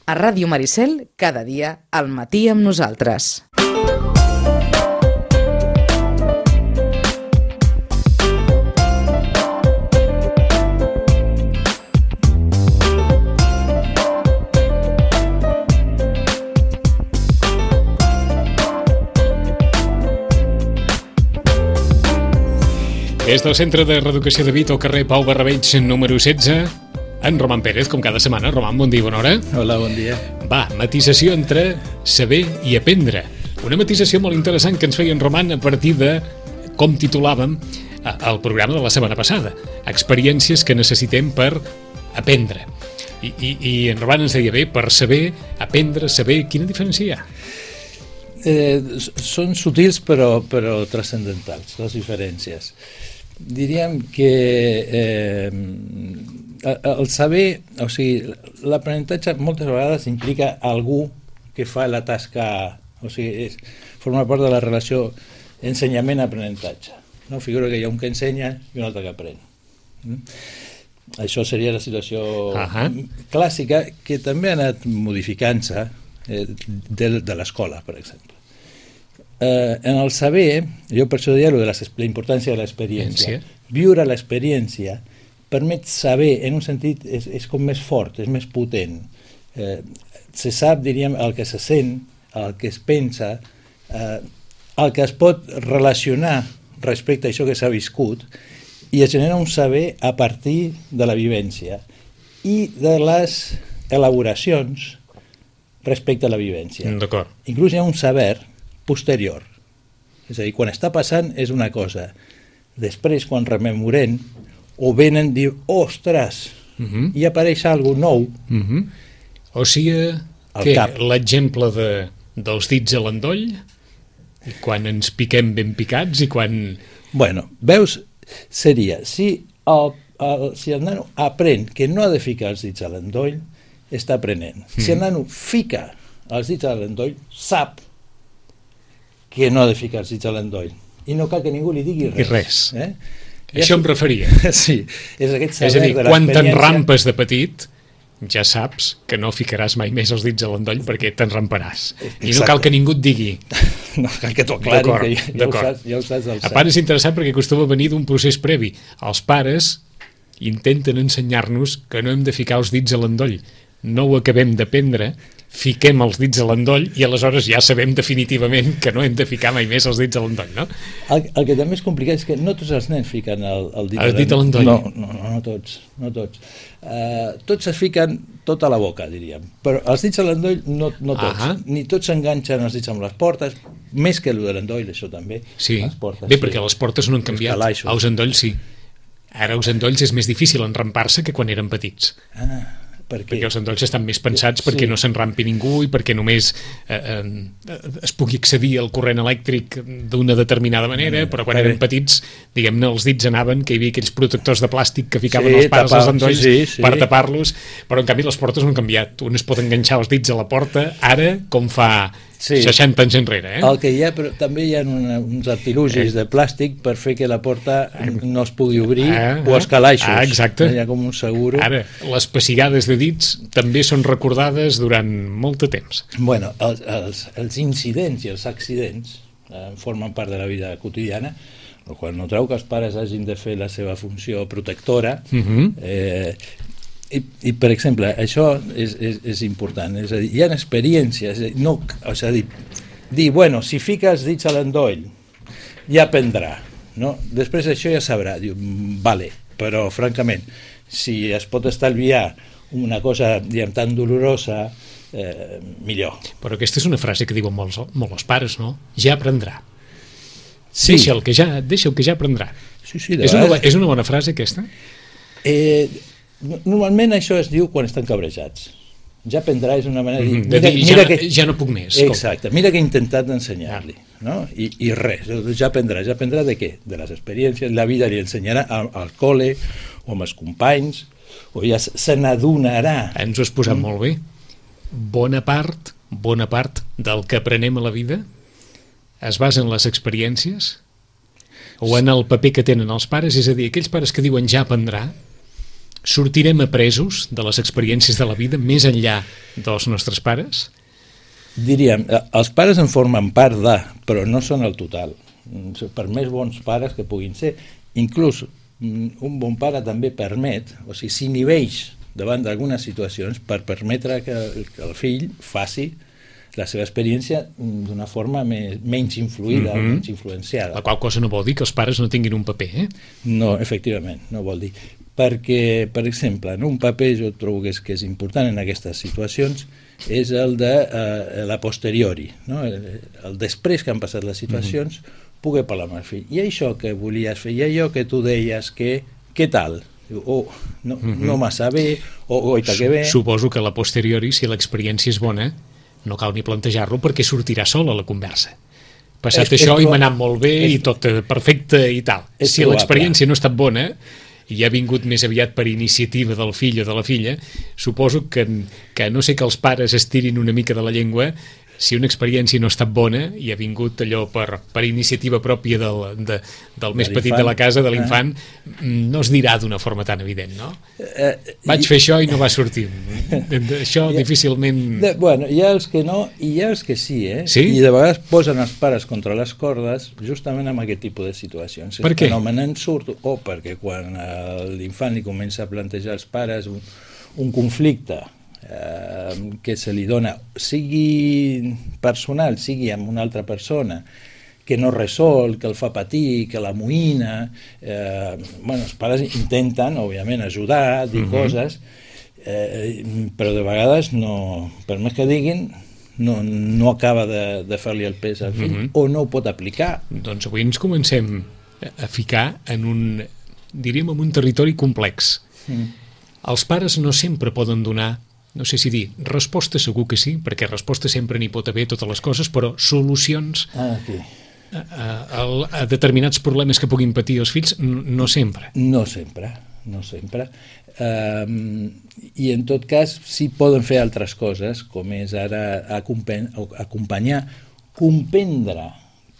A Ràdio Maricel, cada dia, al matí amb nosaltres. Des del Centre de Reeducació de Vic, al carrer Pau Barrabeig, número 16, en Roman Pérez, com cada setmana. Roman, bon dia, bona hora. Hola, bon dia. Va, matisació entre saber i aprendre. Una matisació molt interessant que ens feia en Roman a partir de com titulàvem el programa de la setmana passada. Experiències que necessitem per aprendre. I en Roman ens deia bé, per saber, aprendre, saber, quina diferència hi ha? Són sutils però transcendentals, les diferències. Diríem que el saber, o sigui, l'aprenentatge moltes vegades implica algú que fa la tasca, o sigui, forma part de la relació ensenyament-aprenentatge. No? Figura que hi ha un que ensenya i un altre que aprèn. Això seria la situació clàssica, que també ha anat modificant-se de l'escola, per exemple. En el saber, jo per això deia la importància de l'experiència. Viure l'experiència permet saber, en un sentit, és com més fort, és més potent. Se sap, diríem, el que se sent, el que es pensa, el que es pot relacionar respecte a això que s'ha viscut, i es genera un saber a partir de la vivència i de les elaboracions respecte a la vivència. D'acord. Inclús hi ha un saber posterior. És a dir, quan està passant és una cosa. Després, quan rememorem, o venen a dir, ostres, i apareix alguna cosa nou. O sigui, l'exemple dels dits a l'endoll, i quan ens piquem ben picats i quan... Bueno, veus, seria, si el nano aprèn que no ha de ficar els dits a l'endoll, està aprenent. Si el nano fica els dits a l'endoll, sap que no ha de ficar els dits a l'endoll. I no cal que ningú li digui res. Això em referia. Sí, és aquest saber de l'experiència. És a dir, quan t'enrampes de petit, ja saps que no ficaràs mai més els dits a l'endoll perquè t'enramparàs. I no cal que ningú et digui. No cal que t'ho aclari, que ja ho saps del cert. A part és interessant perquè acostuma a venir d'un procés previ. Els pares intenten ensenyar-nos que no hem de ficar els dits a l'endoll. No ho acabem d'aprendre, fiquem els dits a l'endoll i aleshores ja sabem definitivament que no hem de ficar mai més els dits a l'endoll, no? El que també és complicat és que no tots els nens fiquen el dit a l'endoll. No tots. Tots es fiquen tot a la boca, diríem. Però els dits a l'endoll no tots. Ni tots s'enganxen els dits amb les portes, més que el de l'endoll, això també. Sí, bé, perquè les portes no han canviat. Els endolls sí. Ara els endolls és més difícil enrampar-se que quan eren petits. Perquè els endolls estan més pensats perquè no s'enrampi ningú i perquè només es pugui accedir al corrent elèctric d'una determinada manera, però quan eren petits, diguem-ne, els dits anaven, que hi havia aquells protectors de plàstic que ficaven els pares als endolls per tapar-los, però en canvi les portes no han canviat. Un es pot enganxar els dits a la porta ara com fa 60 anys enrere. El que hi ha, però també hi ha uns artilugis de plàstic per fer que la porta no es pugui obrir, o els calaixos. Exacte. Hi ha com un seguro. Ara, les pessigades de dits també són recordades durant molt de temps. Bueno, els incidents i els accidents formen part de la vida quotidiana, el qual no treu que els pares hagin de fer la seva funció protectora. I per exemple, això és important, és a dir, hi ha experiències, dir, bueno, si fica els dits a l'endoll ja aprendrà, no? Després això ja sabrà, diu, vale, però francament, si es pot estalviar una cosa, diguem, tan dolorosa, millor. Però aquesta és una frase que diuen molt els pares, no? Ja aprendrà. Sí. Deixa'l que ja aprendrà. Sí, és una bona frase aquesta? Normalment això es diu quan estan cabrejats. Ja aprendrà és una manera de dir, ja no puc més. Exacte, mira que he intentat ensenyar-li, no? I res, ja aprendrà de què? De les experiències, la vida li ensenyarà al col·le o amb els companys, o ja se n'adonarà. Ens ho has posat molt bé. Bona part del que aprenem a la vida es basa en les experiències o en el paper que tenen els pares, és a dir, aquells pares que diuen ja aprendrà, Sortirem apresos de les experiències de la vida més enllà dels nostres pares? Diríem, els pares en formen part de, però no són el total. Per més bons pares que puguin ser, inclús un bon pare també permet, o sigui, s'inhibeix davant d'algunes situacions per permetre que el fill faci la seva experiència d'una forma menys influïda, menys influenciada. La qual cosa no vol dir que els pares no tinguin un paper, eh? No, efectivament, no vol dir. Perquè, per exemple, en un paper jo trobo que és important en aquestes situacions és el de la posteriori, no? El després que han passat les situacions, poder parlar amb el fill. I això que volies fer, i allò que tu deies, què tal? No massa bé, o goita que bé. Suposo que a la posteriori, si l'experiència és bona, no cal ni plantejar-lo perquè sortirà sola la conversa. Passat això i m'ha anat molt bé i tot perfecte i tal. Si l'experiència no ha estat bona i ha vingut més aviat per iniciativa del fill o de la filla, suposo que a no ser que els pares estirin una mica de la llengua, si una experiència no ha estat bona i ha vingut allò per iniciativa pròpia del més petit de la casa, de l'infant, no es dirà d'una forma tan evident, no? Vaig fer això i no va sortir. Això difícilment... Bueno, hi ha els que no i hi ha els que sí, eh? Sí? I de vegades posen els pares contra les cordes justament amb aquest tipus de situacions. Per què? El fenomen surt, o perquè quan l'infant li comença a plantejar als pares un conflicte que se li dona, sigui personal, sigui amb una altra persona, que no resol, que el fa patir, que l'amoïna, els pares intenten, òbviament, ajudar, dir coses, però de vegades, no, per més que diguin, no acaba de fer-li el pes al fill, o no ho pot aplicar. Doncs avui ens comencem a ficar en en un territori complex. Els pares no sempre poden donar, no sé si dir, resposta segur que sí, perquè resposta sempre n'hi pot haver totes les coses, però solucions a determinats problemes que puguin patir els fills, no sempre. No sempre. I en tot cas sí poden fer altres coses, com és ara acompanyar, comprendre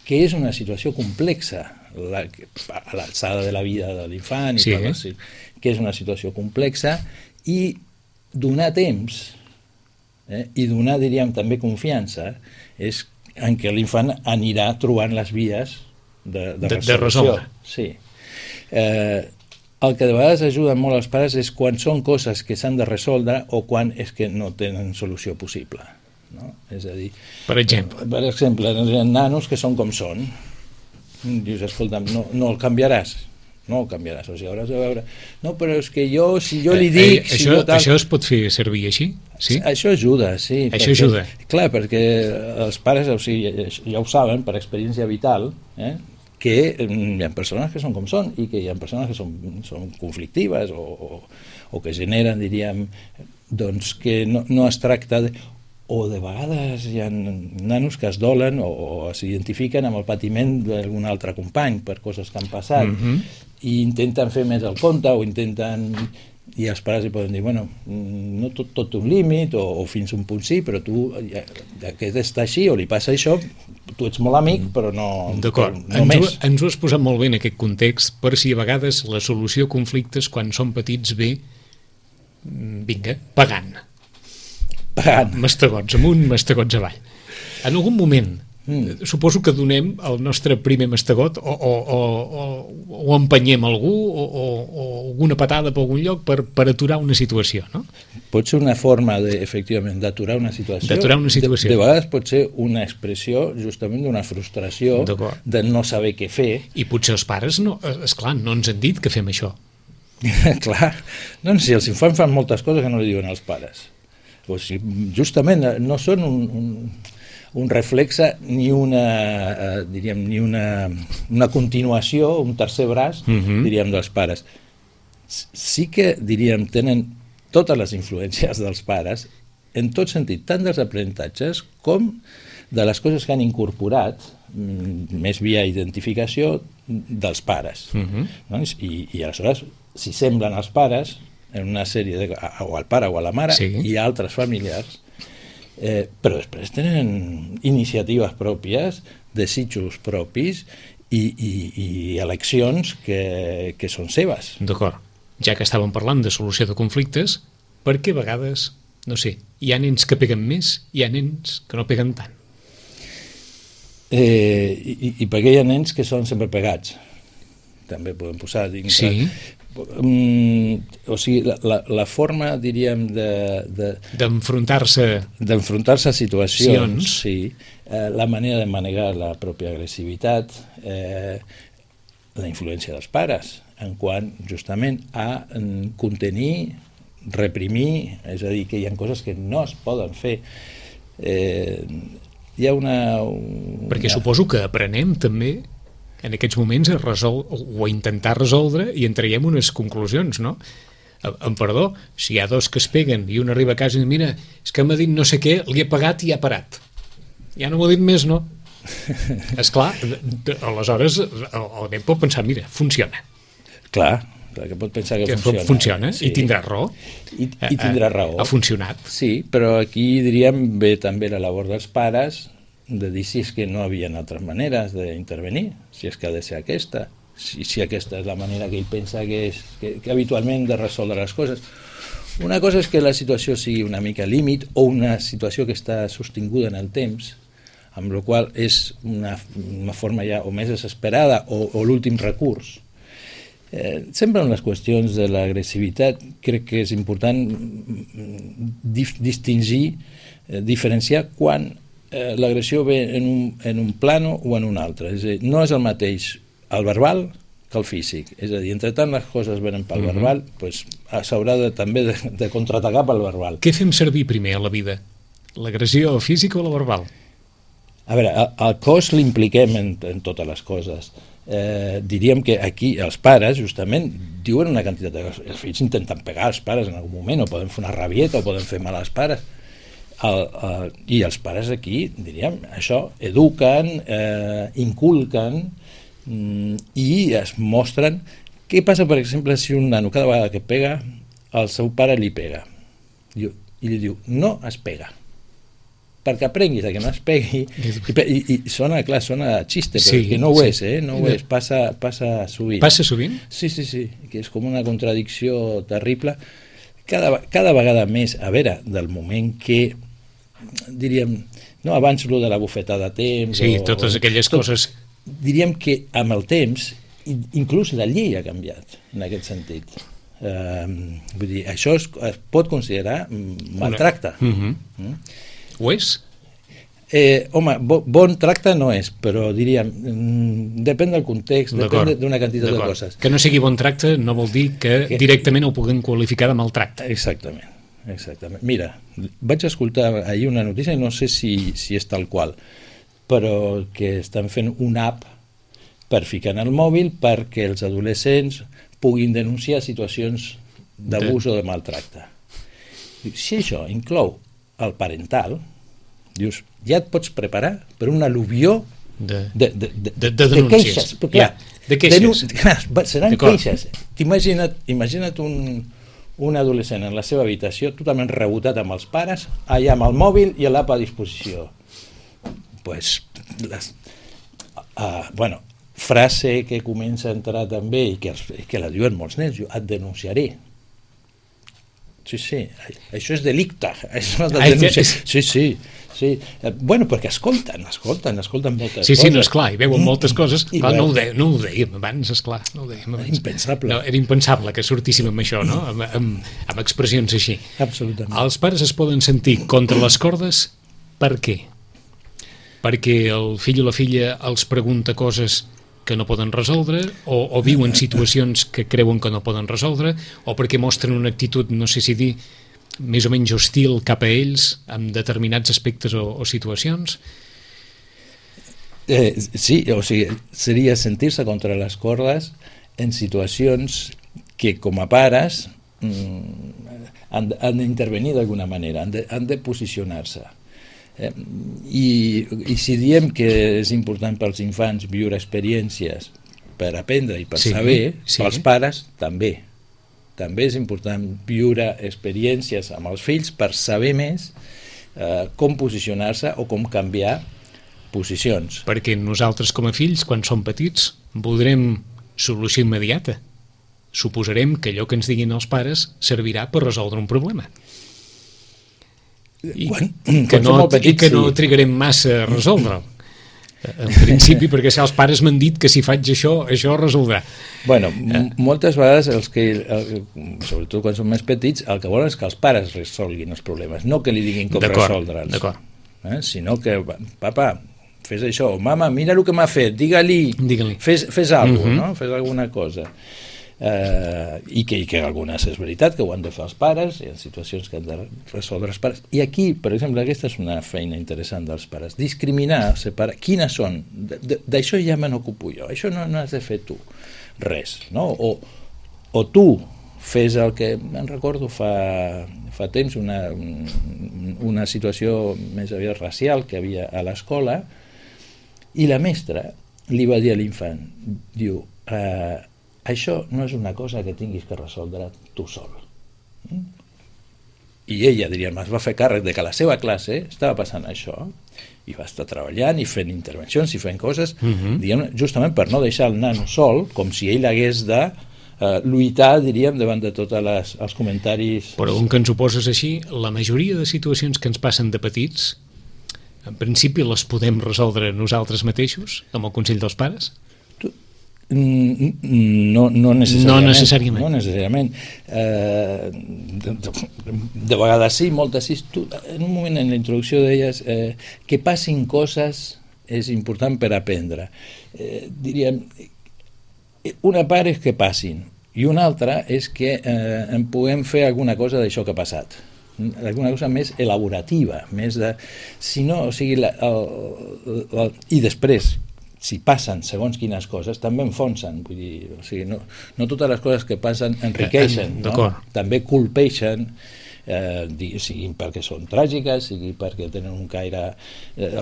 que és una situació complexa a l'alçada de la vida de l'infant, que és una situació complexa, i donar temps i donar, diríem, també confiança és en què l'infant anirà trobant les vies de resolució. Sí. El que de vegades ajuda molt els pares és quan són coses que s'han de resoldre o quan és que no tenen solució possible. No? És a dir, per exemple, hi ha nanos que són com són. Dius, escolta, no el canviaràs. No el canviaràs, o sigui, hauràs de veure... No, però és que si jo li dic... Això es pot fer servir així? Sí? Això ajuda, sí. Això ajuda. Clar, perquè els pares, o sigui, ja ho saben, per experiència vital, que hi ha persones que són com són i que hi ha persones que són conflictives o que generen, diríem, doncs que no es tracta de... O de vegades hi ha nanos que es dolen o s'identifiquen amb el patiment d'algun altre company per coses que han passat i intenten fer més el compte o intenten... I els pares hi poden dir, bueno, no tot té un límit o fins un punt sí, però tu, aquest està així o li passa això, tu ets molt amic, però no... D'acord, ens ho has posat molt bé en aquest context, per si a vegades la solució a conflictes quan són petits ve, vinga, pagant. Mastegots amunt, mastegots avall. En algun moment, suposo que donem el nostre primer mastegot o empenyem algú o alguna patada per algun lloc per aturar una situació, no? Pot ser una forma, efectivament, d'aturar una situació. De vegades pot ser una expressió justament d'una frustració, de no saber què fer. I potser els pares, esclar, no ens han dit que fem això. Clar, doncs si els infants fan moltes coses que no li diuen als pares. O sigui, justament no són un reflexe ni una continuació, un tercer braç, diríem, dels pares. Sí que, diríem, tenen totes les influències dels pares, en tot sentit, tant dels aprenentatges com de les coses que han incorporat, més via identificació, dels pares. I aleshores, si semblen els pares, en una sèrie o al pare o a la mare i altres familiars, però després tenen iniciatives pròpies, desitjos propis i eleccions que són seves. D'acord. ja que estàvem parlant de solució de conflictes, perquè a vegades, no sé, hi ha nens que peguen més, hi ha nens que no peguen tant. I perquè hi ha nens que són sempre pegats. També podem posar dins. Sí. O sigui, la forma, diríem, d'enfrontar-se a situacions, sí, la manera de manejar la pròpia agressivitat, la influència dels pares, en quant justament a contenir, reprimir, és a dir, que hi ha coses que no es poden fer. Hi ha Perquè suposo que aprenem també en aquests moments a intentar resoldre i en traiem unes conclusions, no? Amb perdó, si hi ha dos que es peguen i un arriba a casa i diu, mira, és que m'ha dit no sé què, li he pagat i ha parat. Ja no m'ho ha dit més, no? Esclar, aleshores el nen pot pensar, mira, funciona. Clar, que pot pensar que funciona. Funciona, sí. I tindrà raó. I tindrà raó. Ha funcionat. Sí, però aquí, diríem, ve també la labor dels pares de dir si és que no hi havia altres maneres d'intervenir, si és que ha de ser aquesta, si aquesta és la manera que ell pensa que habitualment de resoldre les coses. Una cosa és que la situació sigui una mica límit o una situació que està sostinguda en el temps, amb la qual és una forma ja o més desesperada o l'últim recurs. Sempre en les qüestions de l'agressivitat crec que és important distingir, diferenciar quan l'agressió ve en un plano o en un altre. És a dir, no és el mateix el verbal que el físic. És a dir, entre tant les coses venen pel verbal, doncs s'haurà també de contraatacar pel verbal. Què fem servir primer a la vida? L'agressió física o la verbal? A veure, el cos l'impliquem en totes les coses. Diríem que aquí els pares justament diuen una quantitat de coses. Els fills intenten pegar els pares en algun moment, o poden fer una rabieta o poden fer mal als pares. I els pares aquí, diríem, això, eduquen, inculquen i es mostren. Què passa, per exemple, si un nano cada vegada que pega, el seu pare li pega i li diu, no es pega, perquè aprenguis que no es pegui, i sona xiste, però sí, que no ho és, no ho és, passa sovint. Passa sovint? Sí, que és com una contradicció terrible. Cada vegada més, a veure, del moment que, diríem, no, abans lo de la bufetada a temps... Sí, totes aquelles coses... Diríem que amb el temps, inclús la llei ha canviat, en aquest sentit. Vull dir, això es pot considerar maltracte. Ho és? Home, bon tracte no és, però diríem, depèn del context, depèn d'una quantitat de coses. Que no sigui bon tracte no vol dir que directament ho puguem qualificar de maltracte. Exactament. Mira, vaig escoltar ahir una notícia, no sé si és tal qual, però que estan fent una app per ficar en el mòbil perquè els adolescents puguin denunciar situacions d'abús o de maltracte. Si això inclou el parental, dius, ja et pots preparar per un al·luvió de queixes. De queixes. Seran queixes. Imagina't un adolescent en la seva habitació totalment rebotat amb els pares, allà amb el mòbil i l'app a disposició. Frase que comença a entrar també i que la diuen molts nens, et denunciaré. Sí, això és delicte. Sí. Bueno, perquè escolten moltes coses. Sí, no, esclar, i veuen moltes coses. Clar, no ho dèiem abans, esclar. Impensable. Era impensable que sortíssim amb això, no? Amb expressions així. Absolutament. Els pares es poden sentir contra les cordes per què? Perquè el fill o la filla els pregunta coses que no poden resoldre, o viuen situacions que creuen que no poden resoldre, o perquè mostren una actitud, no sé si dir, més o menys hostil cap a ells en determinats aspectes o situacions? Sí, o sigui, seria sentir-se contra les cordes en situacions que com a pares han d'intervenir d'alguna manera, han de posicionar-se. I si diem que és important pels infants viure experiències per aprendre i per saber, pels pares també és important viure experiències amb els fills per saber més com posicionar-se o com canviar posicions. Perquè nosaltres com a fills, quan som petits, voldrem solució immediata. suposarem que allò que ens diguin els pares servirà per resoldre un problema. I que no trigarem massa a resoldre'l. En principi, perquè si els pares m'han dit que si faig això resoldrà. Bueno, moltes vegades sobretot quan són més petits, el que volen és que els pares resolguin els problemes, no que li diguin com resoldre'ls. D'acord. Sinó que, papa, fes això, o mama, mira el que m'ha fet, digue-li. Fes alguna cosa, no? Fes alguna cosa. I que algunes és veritat que ho han de fer els pares, hi ha situacions que han de resoldre els pares, i aquí, per exemple, aquesta és una feina interessant dels pares, discriminar, separar quines són, d'això ja me n'ocupo jo, això no has de fer tu res, no? O tu fes el que me'n recordo fa temps, una situació més aviat racial que havia a l'escola, i la mestra li va dir a l'infant, diu, això no és una cosa que tinguis que resoldre tu sol. I ella, diríem, es va fer càrrec de que a la seva classe estava passant això, i va estar treballant i fent intervencions i fent coses, diguem, justament per no deixar el nano sol, com si ell hagués de lluitar, diríem, davant de tots els comentaris. Però on que ens ho poses així, la majoria de situacions que ens passen de petits, en principi les podem resoldre nosaltres mateixos, amb el consell dels pares? No necessàriament. No necessàriament. De vegades sí, moltes sí. Tu, en un moment en la introducció deies que passin coses és important per aprendre. Diríem, una part és que passin i una altra és que en puguem fer alguna cosa d'això que ha passat, alguna cosa més elaborativa, més de... Si no, o sigui, i després, si passen segons quines coses, també enfonsen. Vull dir, o sigui, no totes les coses que passen enriqueixen, no? També colpeixen, siguin perquè són tràgiques, sigui perquè tenen un caire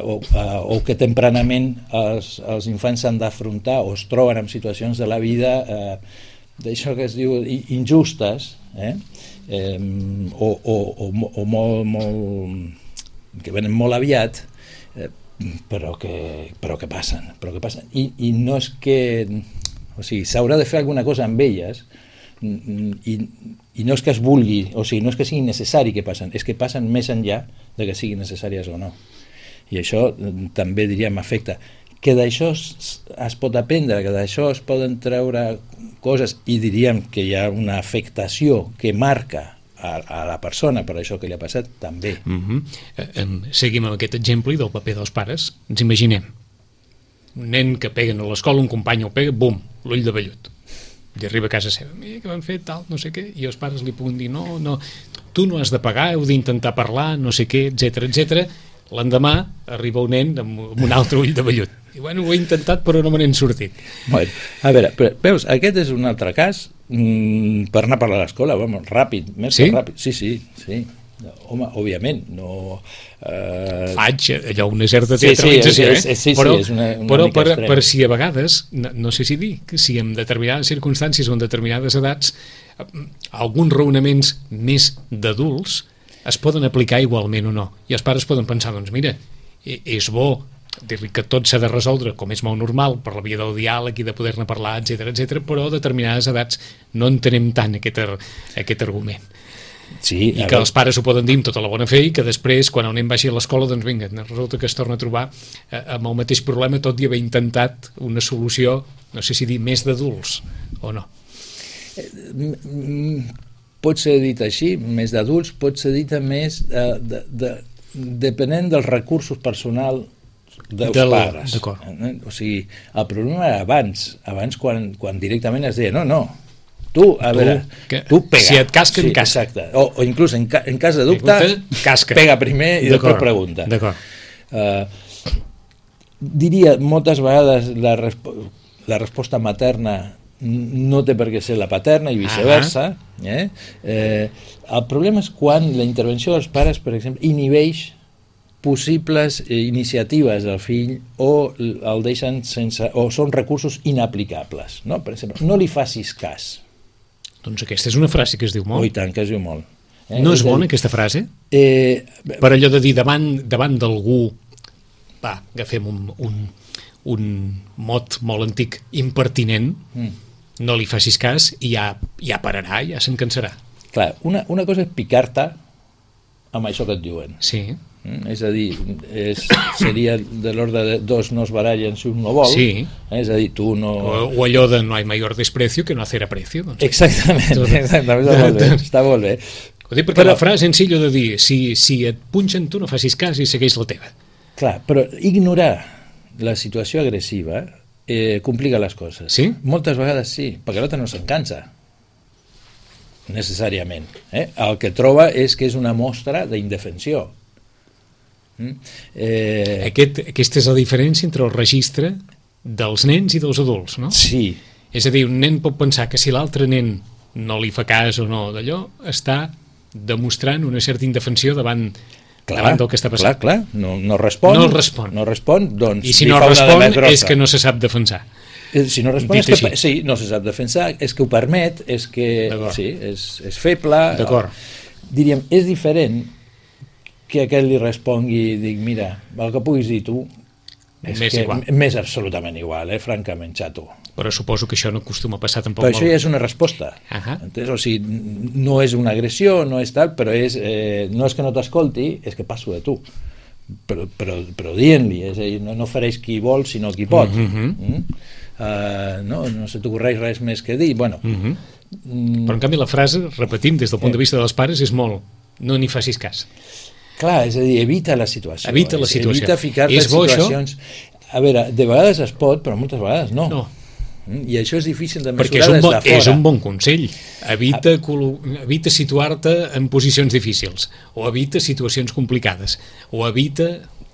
o que tempranament els infants s'han d'afrontar o es troben en situacions de la vida d'això que es diu injustes, o molt que venen molt aviat, però que passen. I no és que... O sigui, s'haurà de fer alguna cosa amb elles i no és que es vulgui, o sigui, no és que sigui necessari que passen, és que passen més enllà de que siguin necessàries o no. I això també, diríem, afecta. Que d'això es pot aprendre, que d'això es poden treure coses, i diríem que hi ha una afectació que marca a la persona per això que li ha passat, també. Seguim amb aquest exemple del paper dels pares. Ens imaginem un nen que peguen a l'escola, un company el pega, bum, l'ull de vellut, i arriba a casa seva, mira que m'han fet tal, no sé què, i els pares li puguin dir no, tu no has de pagar, heu d'intentar parlar, no sé què, etc. L'endemà arriba un nen amb un altre ull de vellut i bueno, ho he intentat però no me n'he sortit. Bueno, a veure, veus, aquest és un altre cas per anar a parlar a l'escola, vamos, ràpid, més que ràpid. Sí. Home, òbviament, no... Faig allò una certa teatralització, però és una mica extrem. Per si a vegades, no sé si dir, que si en determinades circumstàncies o en determinades edats alguns raonaments més d'adults es poden aplicar igualment o no, i els pares poden pensar, doncs mira, és bo dir-li que tot s'ha de resoldre com és molt normal per la via del diàleg i de poder-ne parlar, etc, però a determinades edats no entenem tant aquest argument. Sí, i que els pares ho poden dir amb tota la bona fe i que després, quan el nen vagi a l'escola, doncs vinga, resulta que es torna a trobar amb el mateix problema, tot i haver intentat una solució, no sé si dir més d'adults o no. Pot ser dit així, més d'adults, pot ser dit més depenent dels recursos personals dels pares. O sigui, el problema era abans quan directament es deia no, tu, a veure, tu pega. Si et casquen, casca. Exacte. O inclús en cas de dubte, pega primer i després pregunta. Diria, moltes vegades la resposta materna no té per què ser la paterna i viceversa. El problema és quan la intervenció dels pares, per exemple, inhibeix possibles iniciatives del fill o el deixen sense, o són recursos inaplicables, no? Per exemple, no li facis cas. Doncs aquesta és una frase que es diu molt. I tant, que es diu molt. No és bona aquesta frase? Per allò de dir davant d'algú, agafem un mot molt antic, impertinent, no li facis cas i ja pararà, ja se'n cansarà. Clar, una cosa és picar-te amb això que et diuen. Sí. És a dir, seria de l'ordre de dos no es barallen si un no vol. Sí. És a dir, tu no... O allò de no hay mayor desprecio que no hacer aprecio. Doncs. Exactament, està molt bé. Ho dic perquè la frase senzilla de dir si et punxen tu no facis cas i segueix la teva. Clar, però ignorar la situació agressiva complica les coses. Sí? Moltes vegades sí, perquè l'altre no se'n cansa necessàriament. El que troba és que és una mostra d'indefensió. Aquesta és la diferència entre el registre dels nens i dels adults, no? Sí. És a dir, un nen pot pensar que si l'altre nen no li fa cas o no d'allò, està demostrant una certa indefensió davant del que està passant. Clar, no respon. No respon, doncs... I si no respon és que no se sap defensar. Si no respon és que sí, no se sap defensar, és que ho permet, és que sí, és feble. D'acord. Diríem, és diferent que aquell li respongui i dic, mira, el que puguis dir tu m'és absolutament igual, francament, xato. Però suposo que això no acostuma a passar tampoc molt. Però això ja és una resposta. O sigui, no és una agressió, no és tal, però no és que no t'escolti, és que passo de tu. Però dient-li, és a dir, no fareix qui vol, sinó qui pot. No se t'ocorreix res més que dir. Bueno, però en canvi la frase, repetim, des del punt de vista dels pares, és molt no n'hi facis cas. Clar, és a dir, evita la situació. Evita ficar-te en situacions... A veure, de vegades es pot, però moltes vegades no. I això és difícil de mesurar des de fora. És un bon consell. Evita situar-te en posicions difícils, o evita situacions complicades, o evita...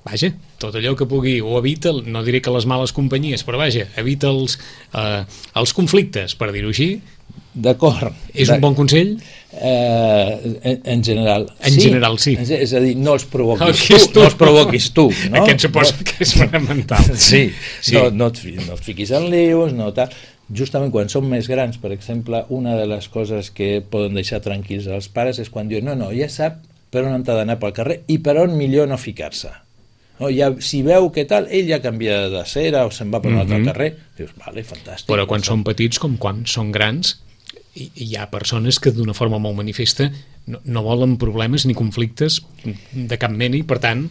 Vaja, tot allò que pugui, o evita, no diré que les males companyies, però vaja, evita els conflictes, per dir-ho així. D'acord. És un bon consell? En general, sí. En general, sí. És a dir, no els provoquis tu. No? Aquest suposo que és fonamental. Sí. No et fiquis en lius, no tal. Justament quan som més grans, per exemple, una de les coses que poden deixar tranquils els pares és quan diuen, no, ja sap per on ha d'anar pel carrer i per on millor no ficar-se. No, si veu que tal, ell ja canvia de cera o se'n va per un altre carrer, dius, vale, fantàstic. Però quan són petits com quan són grans, hi ha persones que d'una forma molt manifesta no volen problemes ni conflictes de cap mena i per tant...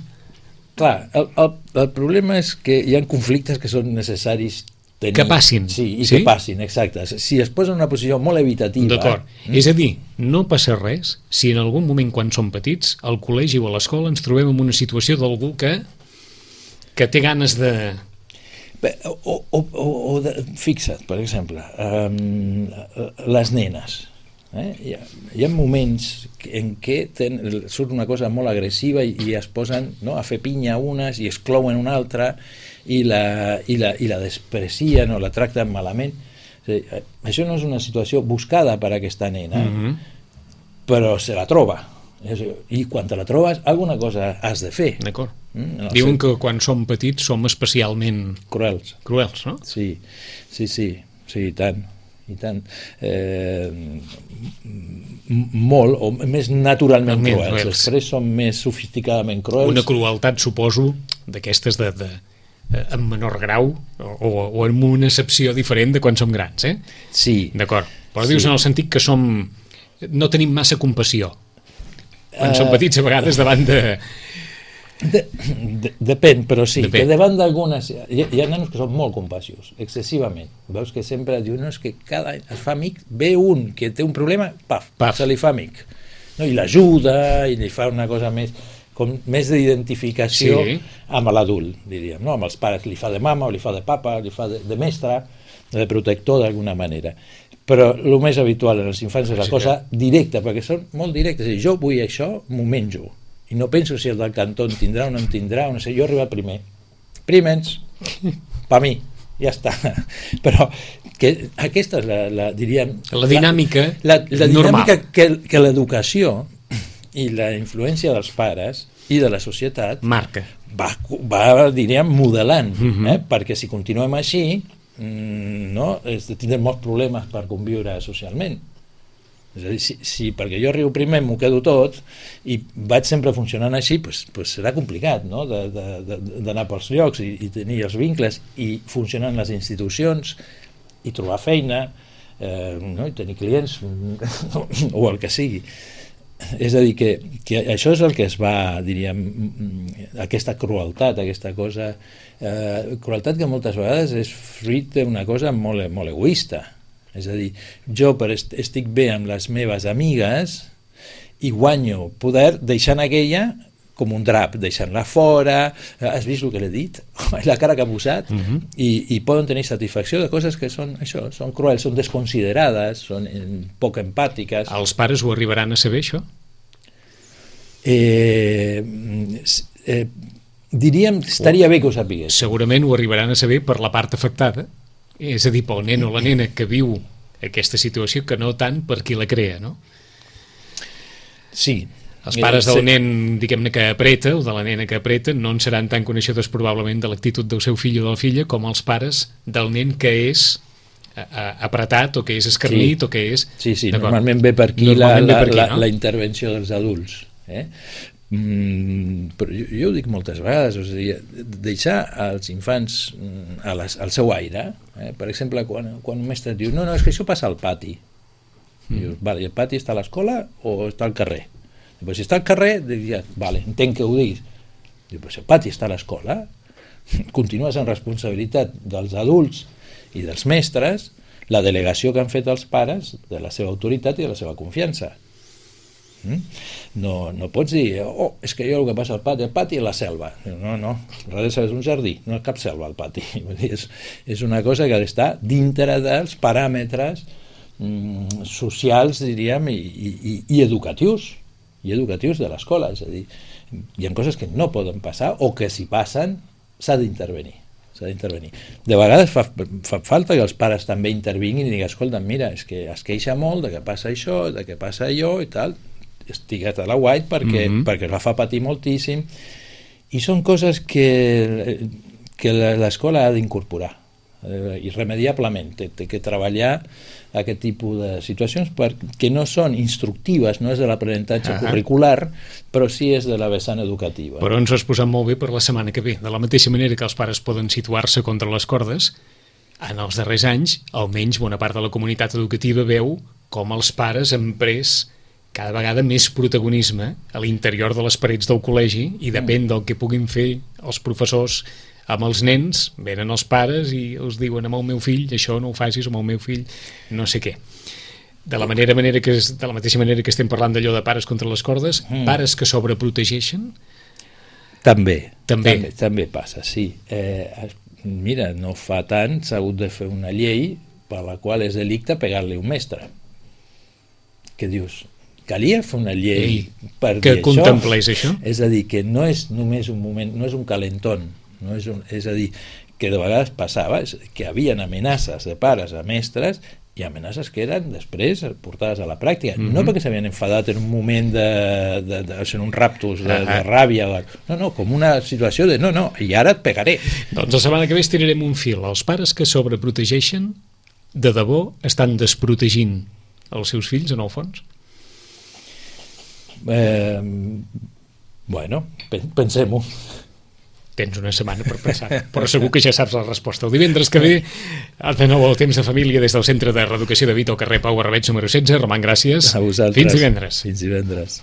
Clar, el problema és que hi ha conflictes que són necessaris tenir. Que passin. Sí, que passin, exacte. Si es posa en una posició molt evitativa... D'acord. És a dir, no passa res si en algun moment quan som petits al col·legi o a l'escola ens trobem en una situació d'algú que té ganes de... Fixa't, per exemple, les nenes. Hi ha moments en què surt una cosa molt agressiva i es posen a fer pinya unes i exclouen una altra i la desprecien o la tracten malament. Això no és una situació buscada per aquesta nena, però se la troba. I quan te la trobes, alguna cosa has de fer. D'acord. Diuen que quan som petits som especialment cruels, no? Sí, i tant. Molt, o més naturalment cruels. Després som més sofisticadament cruels. Una crueltat, suposo, d'aquestes en menor grau o en una excepció diferent de quan som grans, Sí. D'acord. Però dius en el sentit que no tenim massa compassió. Quan som petits, a vegades, davant de... Depèn, però sí, que davant d'algunes hi ha nanos que són molt compassius, excessivament. Veus que sempre diu, no, és que cada any es fa amic, ve un que té un problema, paf. Se li fa amic, i l'ajuda i li fa una cosa més d'identificació amb l'adult, diríem, amb els pares, li fa de mama o li fa de papa, li fa de mestre, de protector d'alguna manera. Però el més habitual en els infants és la cosa directa, perquè són molt directes, és a dir, jo vull això, m'ho menjo. I no penso si el del cantó en tindrà o no en tindrà, no sé, jo he arribat primer. Primens, per mi, ja està. Però aquesta és diríem... La dinàmica normal. Que l'educació i la influència dels pares i de la societat marca. Va diríem, modelant, perquè si continuem així, tindrem molts problemes per conviure socialment. És a dir, perquè jo arribo primer, m'ho quedo tot i vaig sempre funcionant així, doncs serà complicat, no?, d'anar pels llocs i tenir els vincles i funcionar en les institucions i trobar feina no? I tenir clients o el que sigui. És a dir, que això és el que es va, diríem, aquesta crueltat, aquesta cosa, crueltat que moltes vegades és fruit d'una cosa molt, molt egoista. És a dir, jo estic bé amb les meves amigues i guanyo poder deixant aquella com un drap, deixant-la fora, has vist el que l'he dit? La cara que ha posat, i poden tenir satisfacció de coses que són això, són cruels, són desconsiderades, són poc empàtiques. Els pares ho arribaran a saber, això? Diríem, estaria bé que ho sapigués. Segurament ho arribaran a saber per la part afectada, és a dir, pel nen o la nena que viu aquesta situació, que no tant per qui la crea, no? Sí. Els pares del nen, diguem-ne, que apreta, o de la nena que apreta, no en seran tan coneixedors probablement de l'actitud del seu fill o de la filla com els pares del nen que és apretat o que és escarnit o que és... Sí, normalment ve per aquí la intervenció dels adults. Però jo ho dic moltes vegades, o sigui, deixar als infants al seu aire. Per exemple, quan un mestre diu no, és que això passa al pati. Dius, vale, el pati està a l'escola o està al carrer? Pues si està al carrer, diria, vale, entenc que ho diguis. Diu, pues el pati està a l'escola, continues en responsabilitat dels adults i dels mestres la delegació que han fet els pares de la seva autoritat i de la seva confiança. No pots dir, és que jo el que passa al pati és la selva. No, res és un jardí, no és cap selva al pati. És una cosa que ha d'estar dintre dels paràmetres socials, diríem, i educatius de l'escola. És a dir, hi ha coses que no poden passar o que si passen s'ha d'intervenir. De vegades fa falta que els pares també intervinguin i diguin, escolta, mira, és que es queixa molt de que passa això, de que passa allò i tal, estiguet a la guait perquè la fa patir moltíssim, i són coses que l'escola ha d'incorporar irremediablement. Té que treballar aquest tipus de situacions perquè no són instructives, no és de l'aprenentatge curricular, però sí és de la vessant educativa. Però ens ho has posat molt bé per la setmana que ve. De la mateixa manera que els pares poden situar-se contra les cordes, en els darrers anys, almenys bona part de la comunitat educativa veu com els pares han pres cada vegada més protagonisme a l'interior de les parets del col·legi, i depèn del que puguin fer els professors amb els nens, venen els pares i els diuen amb el meu fill, això no ho facis, amb el meu fill, no sé què. De la mateixa manera que estem parlant d'allò de pares contra les cordes, pares que sobreprotegeixen? També passa, sí. Mira, no fa tant s'ha hagut de fer una llei per la qual és delicte pegar-li un mestre. Què dius? Calia fer una llei per dir això? Que contemplés això? És a dir, que no és només un moment, no és un calentón, és a dir, que de vegades passava que hi havia amenaces de pares a mestres i amenaces que eren després portades a la pràctica, no perquè s'havien enfadat en un moment en un raptus de ràbia, no, com una situació de no, i ara et pegaré. Doncs la setmana que ve estirarem un fil. Els pares que sobreprotegeixen de debò estan desprotegint els seus fills, en el fons? Bueno, pensem-ho. Tens una setmana per pensar, però segur que ja saps la resposta. El divendres que ve, de nou el Temps de Família des del Centre de Reeducació de Vita al carrer Pau Arrabets número 16. Roman, gràcies. A vosaltres. Fins divendres. Fins divendres.